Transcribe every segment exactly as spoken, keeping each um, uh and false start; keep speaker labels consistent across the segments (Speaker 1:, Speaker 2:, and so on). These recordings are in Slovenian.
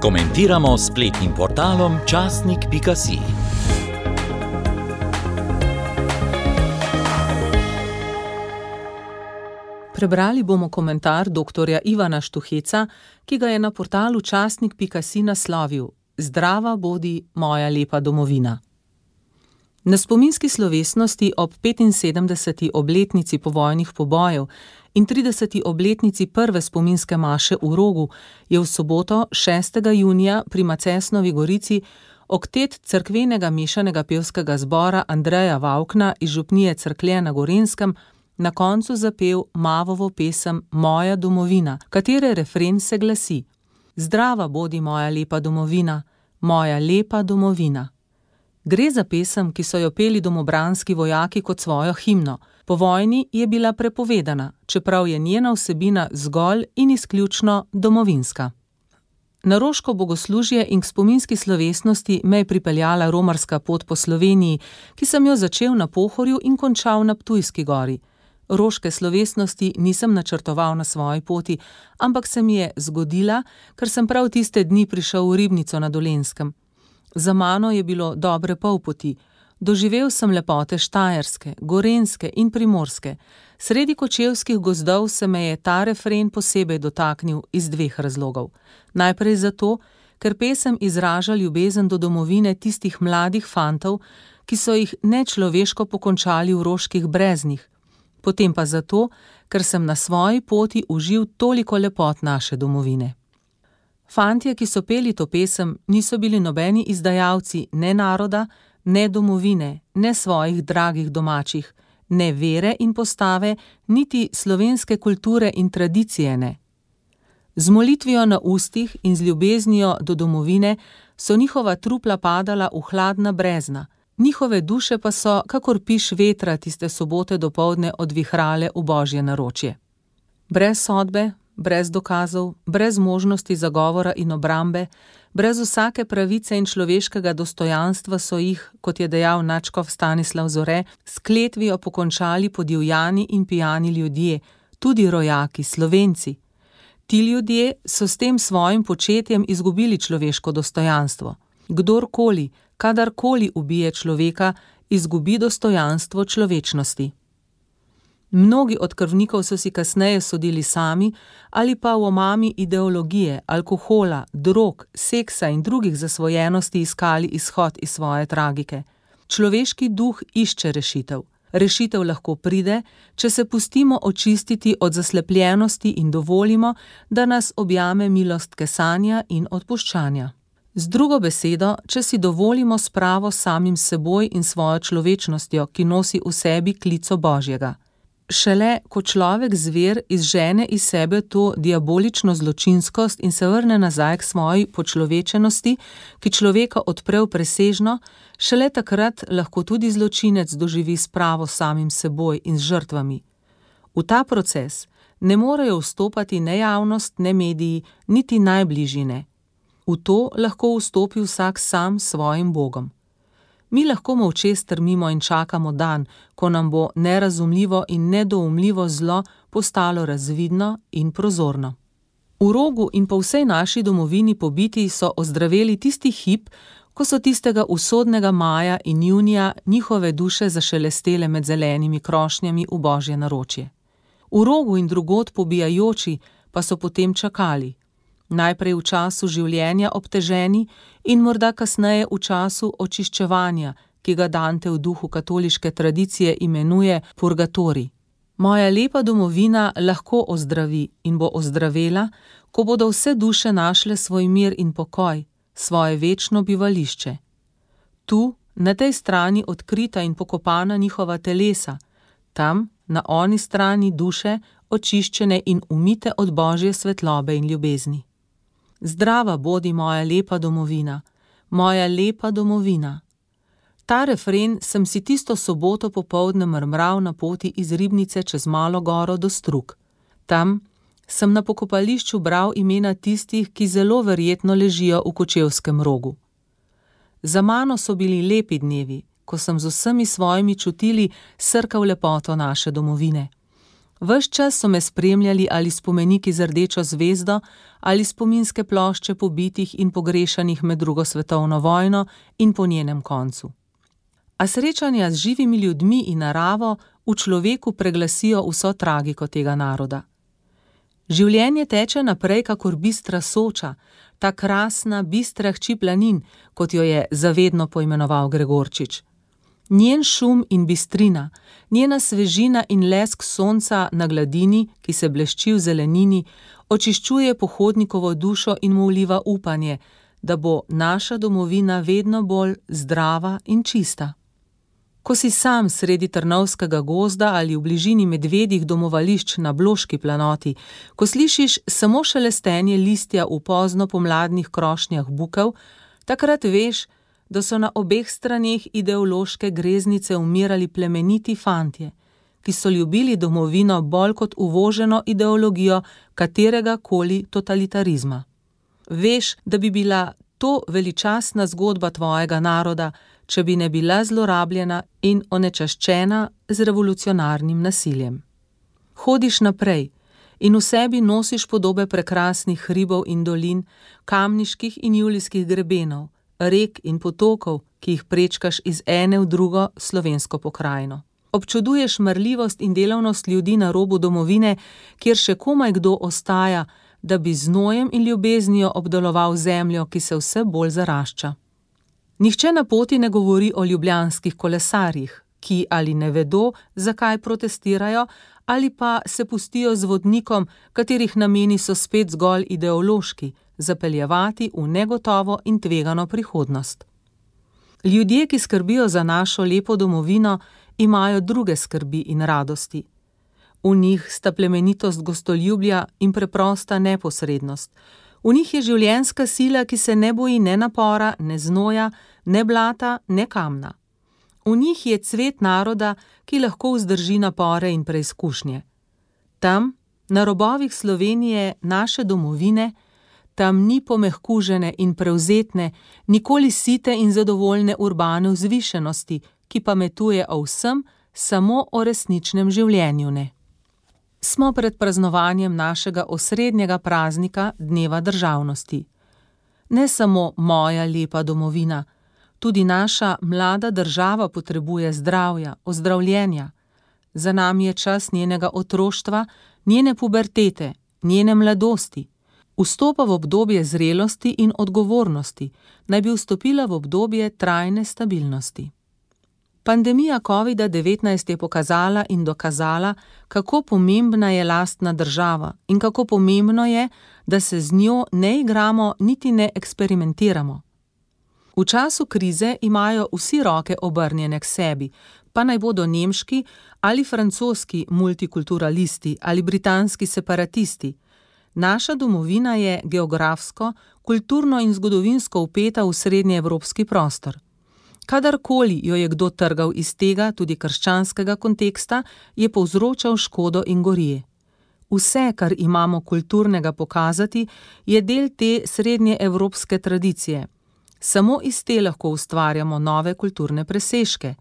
Speaker 1: Komentiramo s spletnim portalom časnik pika si.
Speaker 2: Prebrali bomo komentar doktorja Ivana Štuheca, ki ga je na portalu časnik pika si naslovil: Zdrava bodi moja lepa domovina. Na spominski slovesnosti ob petinsedemdeseti obletnici povojnih pobojev in trideseti obletnici prve spominske maše v Rogu je v soboto, šestega junija, pri Macesnovi Gorici oktet cerkvenega mešanega pevskega zbora Andreja Vavkna iz župnije Cerklje na Gorenjskem na koncu zapel Mavovo pesem Moja domovina, katere refren se glasi: Zdrava bodi moja lepa domovina, moja lepa domovina. Gre za pesem, ki so jo peli domobranski vojaki kot svojo himno. Po vojni je bila prepovedana, čeprav je njena vsebina zgolj in izključno domovinska. Na roško bogoslužje in k spominski slovesnosti me je pripeljala romarska pot po Sloveniji, ki sem jo začel na Pohorju in končal na Ptujski gori. Roške slovesnosti nisem načrtoval na svoji poti, ampak se mi je zgodila, ker sem prav tiste dni prišel v Ribnico na Dolenjskem. Za mano je bilo dobre pol poti. Doživel sem lepote Štajerske, Gorenjske in Primorske. Sredi kočevskih gozdov se me je ta refren posebej dotaknil iz dveh razlogov. Najprej zato, ker pesem izraža ljubezen do domovine tistih mladih fantov, ki so jih nečloveško pokončali v roških breznih. Potem pa zato, ker sem na svoji poti užil toliko lepot naše domovine. Fantje, ki so peli to pesem, niso bili nobeni izdajalci ne naroda, ne domovine, ne svojih dragih domačih, ne vere in postave, niti slovenske kulture in tradicije ne. Z molitvijo na ustih in z ljubeznijo do domovine so njihova trupla padala v hladna brezna, njihove duše pa so, kakor piš vetra, tiste sobote dopoldne odvihrale v božje naročje. Brez sodbe, brez dokazov, brez možnosti zagovora in obrambe, brez vsake pravice in človeškega dostojanstva so jih, kot je dejal nadškof Stanislav Zore, s kletvijo pokončali podivjani in pijani ljudje, tudi rojaki, Slovenci. Ti ljudje so s tem svojim početjem izgubili človeško dostojanstvo. Kdorkoli, kadarkoli ubije človeka, izgubi dostojanstvo človečnosti. Mnogi od krvnikov so si kasneje sodili sami ali pa v omami ideologije, alkohola, drog, seksa in drugih zasvojenosti iskali izhod iz svoje tragike. Človeški duh išče rešitev. Rešitev lahko pride, če se pustimo očistiti od zaslepljenosti in dovolimo, da nas objame milost kesanja in odpuščanja. Z drugo besedo, če si dovolimo spravo samim seboj in svojo človečnostjo, ki nosi v sebi klico Božjega. Šele, ko človek zver izžene iz sebe to diabolično zločinskost in se vrne nazaj k svoji počlovečenosti, ki človeka odpre v presežno, šele takrat lahko tudi zločinec doživi spravo samim seboj in z žrtvami. V ta proces ne morejo vstopati ne javnost, ne mediji, niti najbližine. V to lahko vstopi vsak sam s svojim Bogom. Mi lahko molče strmimo in čakamo dan, ko nam bo nerazumljivo in nedoumljivo zlo postalo razvidno in prozorno. V Rogu in po vsej naši domovini pobiti so ozdraveli tisti hip, ko so tistega usodnega maja in junija njihove duše zašelestele med zelenimi krošnjami v božje naročje. V Rogu in drugod pobijajoči pa so potem čakali. Najprej v času življenja obteženi in morda kasneje v času očiščevanja, ki ga Dante v duhu katoliške tradicije imenuje purgatorij. Moja lepa domovina lahko ozdravi in bo ozdravela, ko bodo vse duše našle svoj mir in pokoj, svoje večno bivališče. Tu, na tej strani odkrita in pokopana njihova telesa, tam, na oni strani duše, očiščene in umite od božje svetlobe in ljubezni. Zdrava bodi moja lepa domovina, moja lepa domovina. Ta refren sem si tisto soboto popoldne mrmral na poti iz Ribnice čez Malo goro do Strug. Tam sem na pokopališču bral imena tistih, ki zelo verjetno ležijo v Kočevskem Rogu. Za mano so bili lepi dnevi, ko sem z vsemi svojimi čutili srkal lepoto naše domovine. Ves čas so me spremljali ali spomeniki z rdečo zvezdo ali spominske plošče pobitih in pogrešanih med drugo svetovno vojno in po njenem koncu. A srečanja z živimi ljudmi in naravo v človeku preglasijo vso tragiko tega naroda. Življenje teče naprej kakor bistra Soča, ta krasna, bistra hči planin, kot jo je zavedno poimenoval Gregorčič. Njen šum in bistrina, njena svežina in lesk sonca na gladini, ki se blešči v zelenini, očiščuje pohodnikovo dušo in mu vliva upanje, da bo naša domovina vedno bolj zdrava in čista. Ko si sam sredi Trnovskega gozda ali v bližini medvedjih domovališč na Bloški planoti, ko slišiš samo šelestenje listja v pozno pomladnih krošnjah bukev, takrat veš, da so na obeh straneh ideološke greznice umirali plemeniti fantje, ki so ljubili domovino bolj kot uvoženo ideologijo katerega koli totalitarizma. Veš, da bi bila to veličastna zgodba tvojega naroda, če bi ne bila zlorabljena in onečaščena z revolucionarnim nasiljem. Hodiš naprej in v sebi nosiš podobe prekrasnih hribov in dolin, kamniških in julijskih grebenov, rek in potokov, ki jih prečkaš iz ene v drugo slovensko pokrajino. Občuduješ marljivost in delavnost ljudi na robu domovine, kjer še komaj kdo ostaja, da bi z znojem in ljubeznijo obdeloval zemljo, ki se vse bolj zarašča. Nihče na poti ne govori o ljubljanskih kolesarjih, ki ali ne vedo, zakaj protestirajo, ali pa se pustijo z vodnikom, katerih nameni so spet zgolj ideološki, zapeljevati v negotovo in tvegano prihodnost. Ljudje, ki skrbijo za našo lepo domovino, imajo druge skrbi in radosti. V njih sta plemenitost gostoljubja in preprosta neposrednost. V njih je življenjska sila, ki se ne boji ne napora, ne znoja, ne blata, ne kamna. V njih je cvet naroda, ki lahko vzdrži napore in preizkušnje. Tam, na robovih Slovenije, naše domovine, tam ni pomehkužene in prevzetne, nikoli site in zadovoljne urbane vzvišenosti, ki pametuje o vsem, samo o resničnem življenju ne. Smo pred praznovanjem našega osrednjega praznika, Dneva državnosti. Ne samo moja lepa domovina, tudi naša mlada država potrebuje zdravja, ozdravljenja. Za nami je čas njenega otroštva, njene pubertete, njene mladosti. Vstopa v obdobje zrelosti in odgovornosti, naj bi vstopila v obdobje trajne stabilnosti. Pandemija covida devetnajst je pokazala in dokazala, kako pomembna je lastna država in kako pomembno je, da se z njo ne igramo niti ne eksperimentiramo. V času krize imajo vsi roke obrnjene k sebi, pa naj bodo nemški ali francoski multikulturalisti ali britanski separatisti. Naša domovina je geografsko, kulturno in zgodovinsko vpeta v srednjeevropski prostor. Kadarkoli jo je kdo trgal iz tega, tudi krščanskega konteksta, je povzročal škodo in gorije. Vse, kar imamo kulturnega pokazati, je del te srednjeevropske tradicije. Samo iz te lahko ustvarjamo nove kulturne presežke.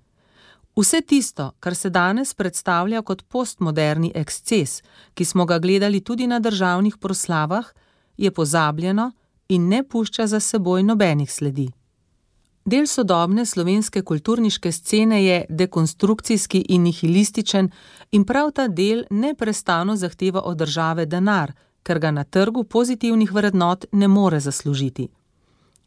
Speaker 2: Vse tisto, kar se danes predstavlja kot postmoderni eksces, ki smo ga gledali tudi na državnih proslavah, je pozabljeno in ne pušča za seboj nobenih sledi. Del sodobne slovenske kulturniške scene je dekonstrukcijski in nihilističen in prav ta del neprestano zahteva od države denar, ker ga na trgu pozitivnih vrednot ne more zaslužiti.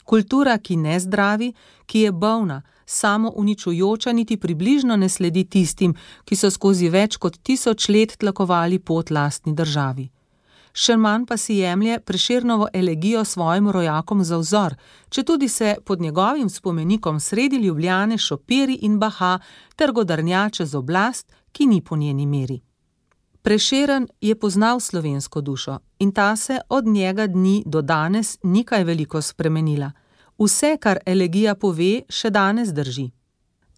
Speaker 2: Kultura, ki ne zdravi, ki je bolna, samo uničujoča, niti približno ne sledi tistim, ki so skozi več kot tisoč let tlakovali pot lastni državi. Še manj pa si jemlje Prešernovo elegijo svojim rojakom za vzor, četudi se pod njegovim spomenikom sredi Ljubljane šopiri in baha ter godrnja čez oblast, ki ni po njeni meri. Prešeren je poznal slovensko dušo in ta se od njega dni do danes ni kaj veliko spremenila. Vse, kar elegija pove, še danes drži.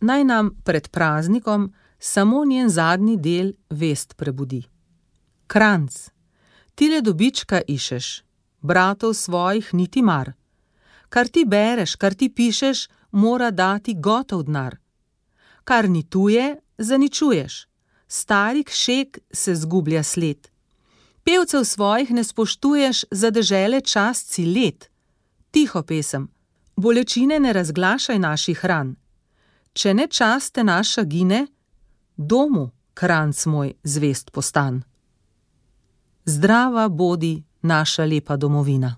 Speaker 2: Naj nam pred praznikom samo njen zadnji del vest prebudi. Kranjc. Tile dobička išeš, bratov svojih niti mar. Kar ti bereš, kar ti pišeš, mora dati gotov denar. Kar ni tuje, zaničuješ. stari kšek se zgublja sled. Pevcev svojih ne spoštuješ, za dežele čast si let. Tiho, pesem, bolečine ne razglašaj naših ran. Če ne časte naša gine, domu, kranc moj, zvest postan. Zdrava bodi naša lepa domovina.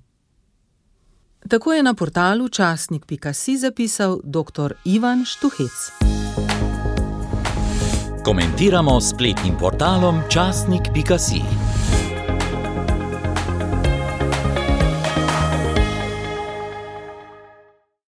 Speaker 2: Tako je na portalu časnik pika si zapisal doktor Ivan Štuhec.
Speaker 1: Komentiramo s spletnim portalom časnik pika si.